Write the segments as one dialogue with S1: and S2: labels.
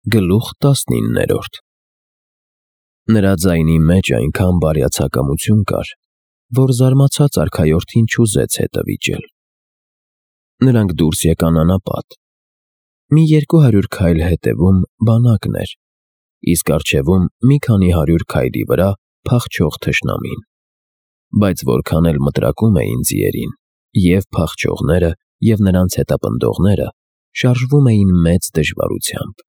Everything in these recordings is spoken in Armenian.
S1: Գլուխ 19 Նրա ձայնի մեջ այնքան բարյացակամություն կար, որ զարմացած արքայորդին չուզեց հետը վիճել։ Նրանք դուրս եկան անապատ։ Մի 200 քայլ հետևում բանակն էր, իսկ առջևում մի քանի 100 քայլի վրա փախչող թշնամին։ Բայց որքան էլ մտրակում էին ձիերին, և փախչողները, և նրանց հետապնդողները շարժվում էին մեծ դժվարությամբ։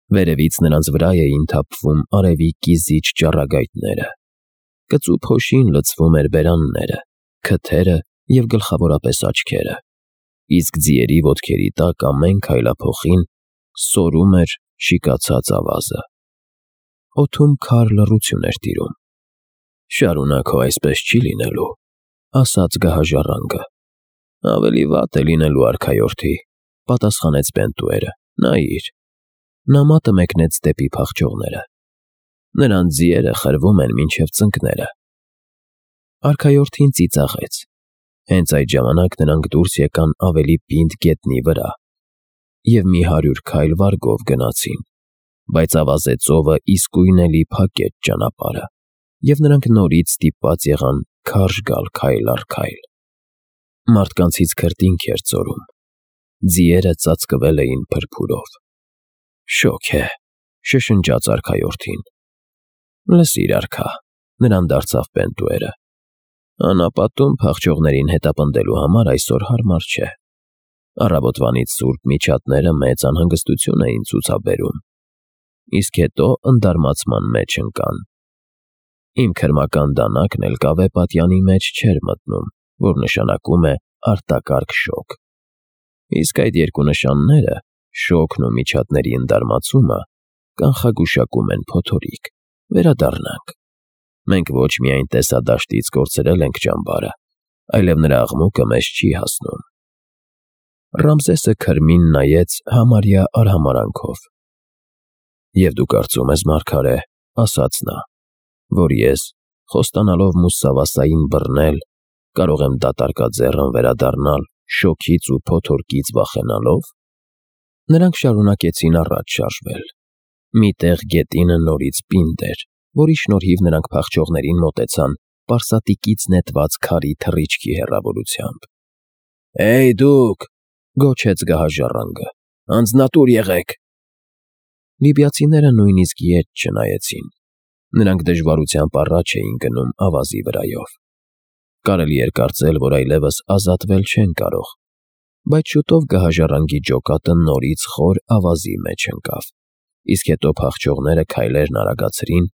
S1: Վերևից նրանց վրա էին թափվում արևի կիզիչ ճառագայթները։ Կծու փոշին լցվում էր բերանները, քթերը և գլխավորապես աչքերը, իսկ ձիերի ոտքերի տակ ամեն քայլափոխին սորում էր շիկացած ավազը։ Օդում քար լռություն էր տիրում։ «Շարունակ հո այսպես չի լինելու», ասաց գահաժառանգը։ «Ավելի վատ է լինելու, արքայորդի», պատասխանեց Պենտուերը։ «Նայիր»։ Նա մատը մեկնեց դեպի փախչողները։ «Նրանց ձիերը խրվում են մինչև ծնկները»։ Արքայորդին ծիծաղեց։ Հենց այդ ժամանակ նրանք դուրս եկան ավելի պինդ գետնի վրա և մի 100 քայլ վարգով գնացին, բայց ավազե ծովը իսկույն էլի փակեց ճանապարհը, և նրանք նորից ստիպված եղան քարշ գալ քայլ առ քայլ։ Մարդկանցից քրտինք էր ծորում։ Ձիերը ծածկվել էին փրփուրով։ «Շոգ է», շշնջաց արքայորդին։ «Լսիր, արքա», նրան դարձավ Պենտուերը։ «Անապատում փախչողներին հետապնդելու համար այսօր հարմար չէ։ Առավոտվանից սուրբ միջատները մեծ անհանգստություն էին ցուցաբերում, իսկ հետո ընդարմացման մեջ ընկան։ Իմ քրմական դանակն էլ կավե պատյանի մեջ չէր մտնում, որ նշանակում է արտակարգ շոգ։ Իսկ այդ երկու նշանները՝ շոգն ու միջատների ընդարմացումը, կանխագուշակում են փոթորիկ։ Վերադառնանք։ Մենք ոչ միայն տեսադաշտից կորցրել ենք ճամբարը, այլև նրա աղմուկը մեզ չի հասնում»։ Ռամզեսը քրմին նայեց համարյա արհամարհանքով։ «Եվ դու կարծում ես, մարգարե, — ասաց նա, — որ ես, խոստանալով մուսսավասային բռնել, կարող եմ դատարկաձեռն վերադառնալ շոգից ու փոթորկից վախենալով»։ Նրանք շարունակեցին առաջ շարժվել։ Մի տեղ գետինը նորից պինդ էր, որի շնորհիվ նրանք փախչողներին մոտեցան պարսատիկից նետված քարի թռիչքի հեռավորությամբ։ «Հեյ դուք», — գոչեց գահաժառանգը, «անձնատուր եղեք»։ Լիբիացիները նույնիսկ ետ չնայեցին։ Նրանք դժվարությամբ առաջ էին գնում ավազի վրայով։ Կարելի էր կարծել, որ այլևս ազատվել չեն կարող, բայց շուտով գահաժառանգի ջոկատը նորից խոր ավազի մեջ ընկավ, իսկ հետո փախչողները քայլերն արագացրին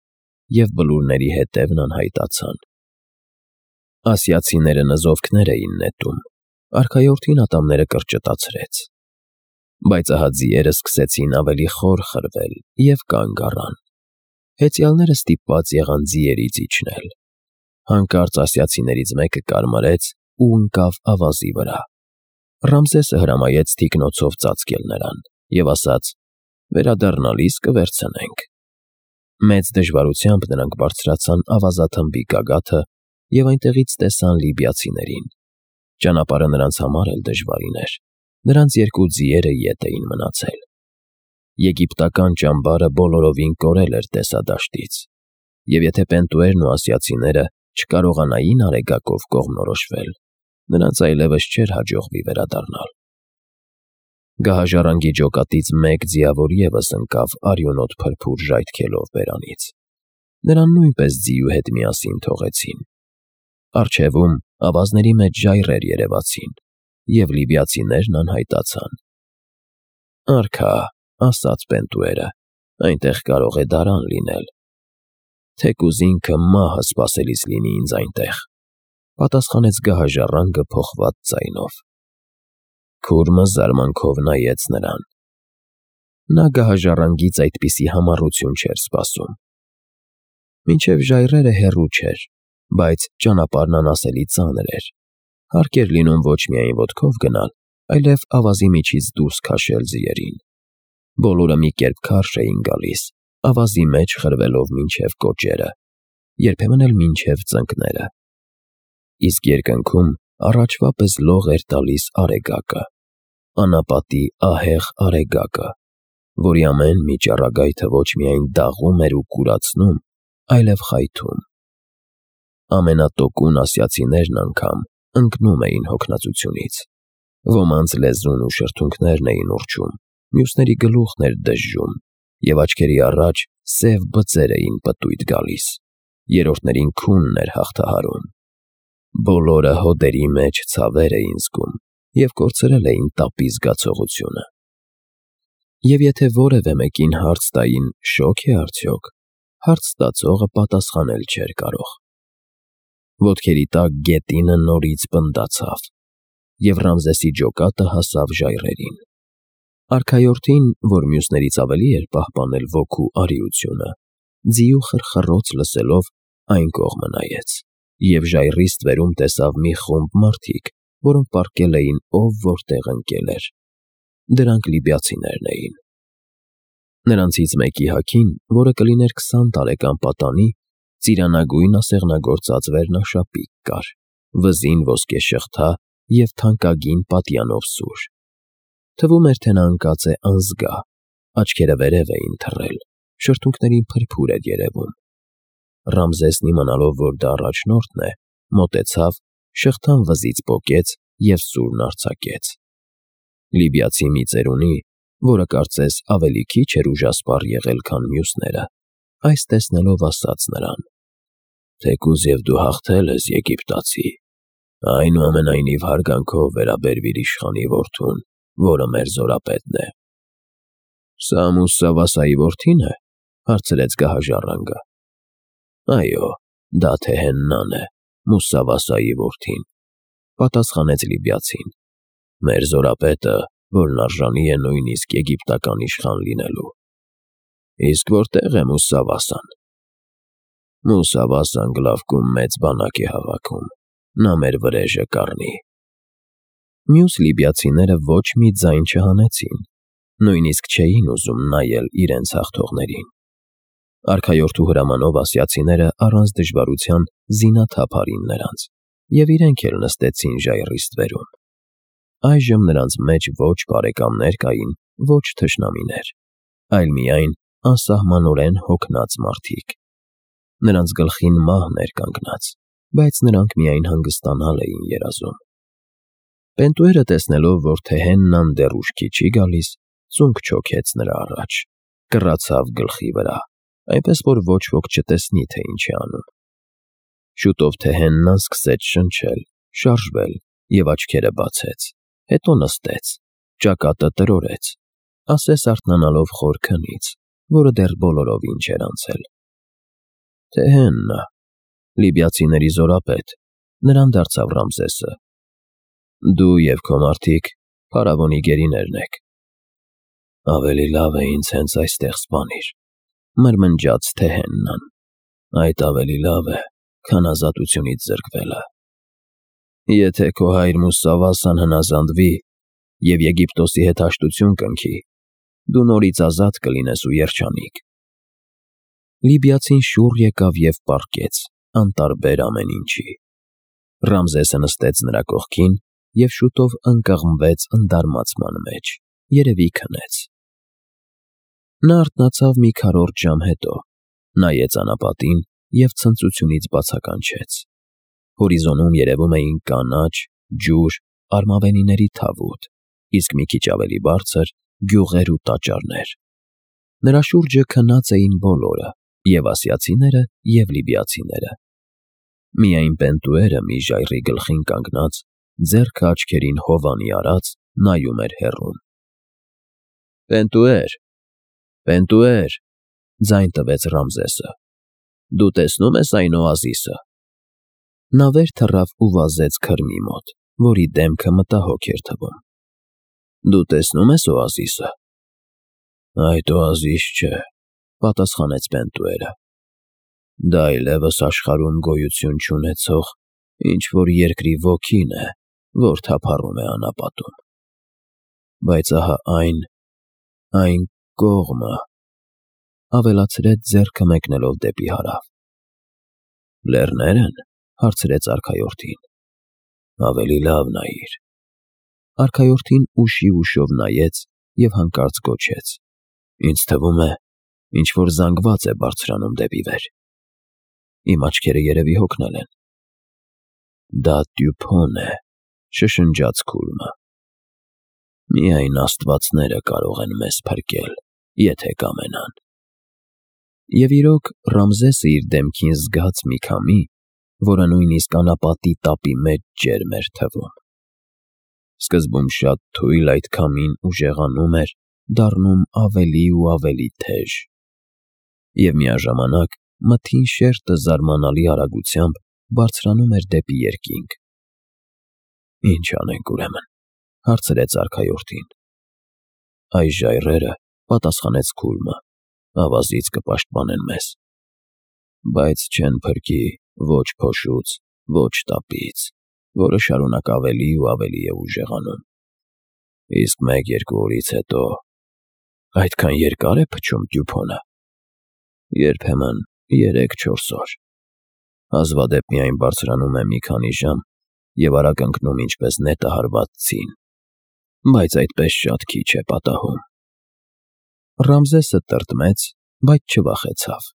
S1: և բլուրների հետևն անհայտացան։ Ասիացիները նզովքներ էին նետում, արքայորդին ատամները կրճտացրեց։ Բայց ահա ձիերը սկսեցին ավելի խոր խրվել և կանգ առան։ Հեծյալները ստիպված եղան ձիերից իջնել։ Հանկարծ ասիացիներից մեկը կարմարեց ու ընկավ ավազի վրա։ Ռամզեսը հրամայեց թիկնոցով ծածկել նրան և ասաց. «Վերադառնալիս կվերցնենք»։ Մեծ դժվարությամբ նրանք բարձրացան ավազաթմբի գագաթը և այնտեղից տեսան լիբիացիներին։ Ճանապարհը նրանց համար էլ դժվարին էր։ Նրանց երկու ձիերը ետ էին մնացել։ Եգիպտական ճամբարը բոլորովին կորել էր տեսադաշտից, և եթե Պենտուերն ու ասիացիները չկարողանային Արեգակով կողմնորոշվել, նրանց այլևս չէր հաջողվի վերադառնալ։ Գահաժառանգի ջոկատից մեկ ձիավոր ևս ընկավ արյունոտ փրփուր ժայթքելով բերանից։ Նրան նույնպես ձիու հետ միասին թողեցին։ Առջևում ավազների մեջ ժայռեր երևացին, և լիբիացիներն անհայտացան։ «Արքա», — ասաց Պենտուերը, — «այնտեղ կարող է դարան լինել»։ «Թեկուզ ինքը մահը սպասելիս լինի ինձ այնտեղ», — պատասխանեց գահաժառանգը փոխված ձայնով։ Քուրմը զարմանքով նայեց նրան։ Նա գահաժառանգից այդպիսի համառություն չէր սպասում։ Մինչև ժայռերը հեռու չէր, բայց ճանապարհն անասելի ծանր էր։ Հարկ էր լինում ոչ միայն ոտքով գնալ, այլև ավազի միջից դուրս քաշել ձիերին։ Բոլորը մի կերպ քարշ էին գալիս, ավազի մեջ խրվելով մինչև կոճերը, երբեմն էլ մինչև ծնկները։ Իսկ երկնքում առաջվա պես լող էր տալիս Արեգակը, անապատի ահեղ Արեգակը, որի ամեն մի ճառագայթը ոչ միայն դաղում էր ու կուրացնում, այլև խայթում։ Ամենատոկուն ասիացիներն անգամ ընկնում էին հոգնածությունից։ Ոմանց լեզուն ու շրթունքներն էին ուռչում, մյուսների գլուխն էր դժժում, և աչքերի առաջ սև բծեր էին պտույտ գալիս, երրորդներին քունն էր հաղթահարում։ Բոլորը հոդերի մեջ ցավեր էին զգում և կորցրել էին տապի զգացողությունը։ Եվ եթե որևէ մեկին հարց տային շո՞ք է արդյոք, հարց տածողը պատասխանել չէր կարող։ Ոտքերի տակ գետինը նորից պնդացավ, և Ռամզեսի ջոկատը հասավ ժայռերին։ Արքայորդին, որ մյուսներից ավելի էր պահպանել ոգու արիությունը, ձիու խրխռոց լսելով այն կողմը նայեց և ժայռի ստվերում տեսավ մի խումբ մարդիկ, որոնք պառկել էին ով որտեղ ընկել էր։ Դրանք լիբիացիներն էին։ Նրանցից մեկի հագին, որը կլիներ 20 տարեկան պատանի, ծիրանագույն ասեղնագործած վերնաշապիկ կար, վզին ոսկե շղթա և թանկագին պատյանով սուր։ Թվում էր, թե նա ընկած է անզգա, աչքերը վերև էին թռել, շրթունքներին փրփուր էր երևում։ Ռամզեսն իմանալով, որ դա առաջնորդն է, մոտեցավ, շղթան վզից պոկեց և սուրն արձակեց։ Լիբիացի մի ծերունի, որը կարծես ավելի քիչ էր ուժասպառ եղել, քան մյուսները, այս տեսնելով ասաց նրան. «Թեկուզ և դու հաղթել ես, Եգիպտացի, այնուամենայնիվ հարգանքով վերաբերվիր իշխանի որդուն, որը մեր զորապետն է»։ «Սա Մուսավասայի որդի՞ն է», հարցրեց գահաժառանգը։ «Այո, դա Թեհեննան է, Մուսավասայի որդին», պատասխանեց լիբիացին։ «Մեր զորապետը, որն արժանի է նույնիսկ եգիպտական իշխան լինելու»։ «Իսկ որտե՞ղ է Մուսավասան»։ «Մուսավասան Գլավկում մեծ բանակ է հավաքում, նա մեր վրեժը կառնի»։ Մյուս լիբիացիները ոչ մի ձայն չհանեցին, նույնիսկ չէին ուզում նայել իրենց հաղթողներին։ Արքայորդու հրամանով ասիացիները առանց դժվարության զինաթափ արին նրանց, և իրենք էլ նստեցին ժայռի ստվերում։ Այժմ նրանց մեջ ոչ բարեկամներ կային, ոչ թշնամիներ, այլ միայն անսահմանորեն հոգնած մարդիկ։ Նրանց գլխին մահն էր կանգնած, բայց նրանք միայն հանգստանալ էին երազում։ Պենտուերը տեսնելով, որ Թեհեննան դեռ ուշքի չի գալիս, ծունկ չոքեց նրա առաջ, կռացավ գլխի վրա, այնպես որ ոչ ոք չտեսնի, թե ինչ է անում։ Շուտով Թեհեննան սկսեց շնչել, շարժվել և աչքերը բացեց, հետո նստեց, ճակատը տրորեց, ասես արթնանալով խոր քնից, որը դեռ բոլորովին չէր անցել։ «Թեհեննա, լիբիացիների զորապետ», նրան դարձավ Ռամզեսը, «դու և քո մարդիկ փարավոնի գերիներն եք»։ «Ավելի լավ է ինձ հենց այստեղ սպանիր», մրմնջաց Թեհեննան, «այդ ավելի լավ է, քան ազատությունից զրկվելը։ Եթե քո հայր Մուսավասան հնազանդվի և Եգիպտոսի հետ հաշտություն կնքի, դու նորից ազատ կլինես ու երջանիկ»։ Լիբիացին շուռ եկավ և պառկեց, անտարբեր ամեն ինչի։ Ռամզեսը նստեց նրա կողքին և շուտով ընկղմվեց ընդարմացման մեջ, երևի քնեց։ Նա արթնացավ մի քառորդ ժամ հետո, նայեց անապատին և ցնծությունից բացականչեց։ Հորիզոնում երևում էին կանաչ, ջուր, արմավենիների թավուտ, իսկ մի քիչ ավելի բարձր՝ գյուղեր ու տաճարներ։ Նրա շուրջը քնած էին բոլորը, և ասիացիները, և լիբիացիները։ Միայն Պենտուերը մի ժայռի գլխին կանգնած, ձեռքը աչքերին հովանի արած, նայում էր հեռուն։ «Պենտուեր, Պենտուեր», ձայն տվեց Ռամզեսը, «դու տեսնո՞ւմ ես այն օազիսը»։ Նա վեր թռավ ու վազեց քրմի մոտ, որի դեմքը մտահոգ էր թվում։ «Դու տեսնո՞ւմ ես օազիսը»։ «Այդ օազիս չէ», պատասխանեց Պենտուերը։ «Դա այլևս աշխարհում գոյություն չունեցող ինչ-որ երկրի ոգին է, որ թափառում է անապատում։ Բայց ահա այն կողմը», ավելացրեց ձեռքը մեկնելով դեպի հարավ։ «Լեռնե՞րն», հարցրեց արքայորդին։ «Ավելի լավ նայիր»։ Արքայորդին ուշի ուշով նայեց և հանկարծ գոչեց. Ինձ թվում է, ինչ-որ զանգված է բարձրանում դեպի վեր։ Իմ աչքերը երևի հոգնել են։ Դա Դյուփոն է, շշնջաց Քուրմը։ Միայն աստվածները կարող են մեզ փրկել, եթե կամենան։ Եվ իրոք Ռամզեսը իր դեմքին զգաց մի քամի, որը նույնիսկ անապատի տապի մեջ ջերմ էր թվում։ Սկզբում շատ թույլ այդ քամին ուժեղանում էր, դառնում ավելի ու ավելի թեժ։ Եվ միաժամանակ մթին շերտը զարմանալի արագությամբ բարձրանում էր դեպի երկինք։ «Ինչ անենք ուրեմն», հարցրեց արքայորդին։ «Այս ժայռերը», պատասխանեց Քուրմը, «ավազից կպաշտպանեն մեզ, բայց չեն փրկի ոչ փոշուց, ոչ տապից, որը շարունակ ավելի ու ավելի է ուժեղանում։ Իսկ 1-2 օրից հետո… Այդքան երկա՞ր է փչում Դյուփոնը։ Երբեմն 3-4 օր։ Հազվադեպ միայն բարձրանում է մի քանի ժամ և արագ ընկնում ինչպես նետը հարված ցին, բայց այդպես շատ քիչ է պատահում»։ Ռամզեսը տրտմեց, բայց չվախեցավ։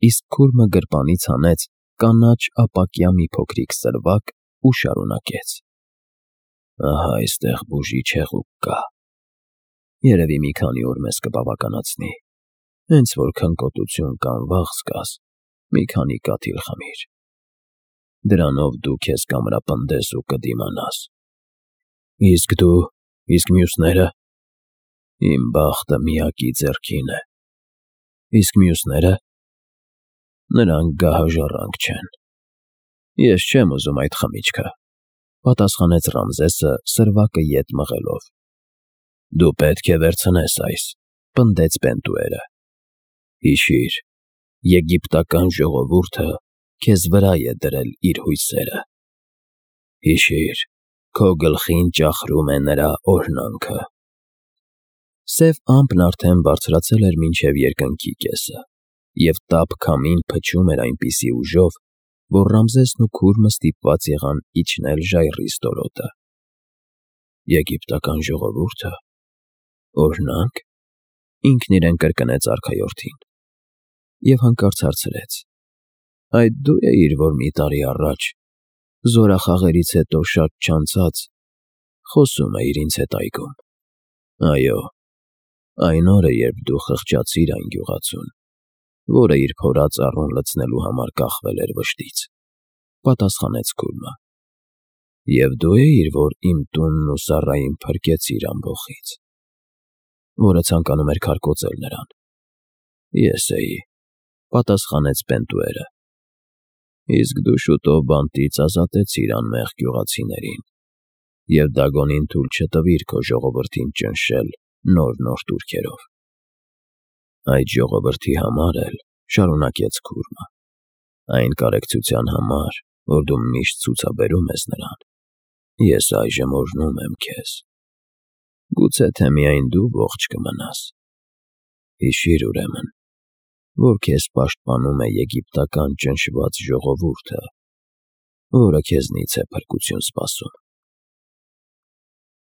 S1: Իսկ Քուրմը գրպանից հանեց կանաչ ապակյա մի փոքրիկ սրվակ ու շարունակեց. «Ահա այստեղ բուժիչ հեղուկ կա։ Երևի մի քանի օր մեզ կբավականացնի։ Հենց որ քնկոտություն կամ վախ զգաս, մի քանի կաթիլ խմիր։ Դրանով դու քեզ կամրապնդես ու կդիմանաս։ Իսկ մյուսները… Իմ բախտը միակի ձեռքին է։ Իսկ մյուսները… Նրանք գահաժառանգ չեն։ Ես չեմ ուզում այդ խմիչքը», պատասխանեց Ռամզեսը սրվակը ետ մղելով։ «Դու պետք է վերցնես այս», պնդեց Պենտուերը։ «Հիշիր, եգիպտական ժողովուրդը քեզ վրա է դրել իր հույսերը։ Հիշիր, քո գլխին ճախրում է նրա օրհնանքը»։ Սև ամպն արդեն բարձրացել էր մինչև երկնքի կեսը, և տաք քամին փչում էր այնպիսի ուժով, որ Ռամզեսն ու Քուրմը ստիպված եղան իջնել ժայռի ստորոտը։ «Եգիպտական ժողովուրդը… օրհնա՞նք», ինքն իրեն կրկնեց արքայորդին։ Եվ հանկարծ հարցրեց. «Այդ դու էիր, որ մի տարի առաջ, զորախաղերից հետո շատ չանցած, խոսում էիր ինձ հետ այգում։ Այո, այն օրը, երբ դու խղճացիր այն գյուղացուն, որը իր փորած առուն լցնելու համար կախվել էր վշտից», պատասխանեց Քուրմը։ «Եվ դու էիր, որ իմ տունն ու Սառային փրկեցիր ամբոխից, որը ցանկանում էր քարկոծել նրան»։ «Ես էի», պատասխանեց Պենտուերը։ «Իսկ դու շուտով բանտից ազատեցիր անմեղ գյուղացիներին և Դագոնին թույլ չտվիր քո ժողովրդին ճնշել նոր տուրքերով։ Այդ ժողովրդի համար էլ, շարունակեց Քուրմը, այն կարեկցության համար, որ դու միշտ ցուցաբերում ես նրան, ես այժմ օրհնում եմ քեզ։ Գուցե թե միայն դու ողջ կմնաս։ Հիշիր ուրեմն, որ քեզ պաշտպանում է եգիպտական ճնշված ժողովուրդը, որը քեզնից է փրկություն սպասում»։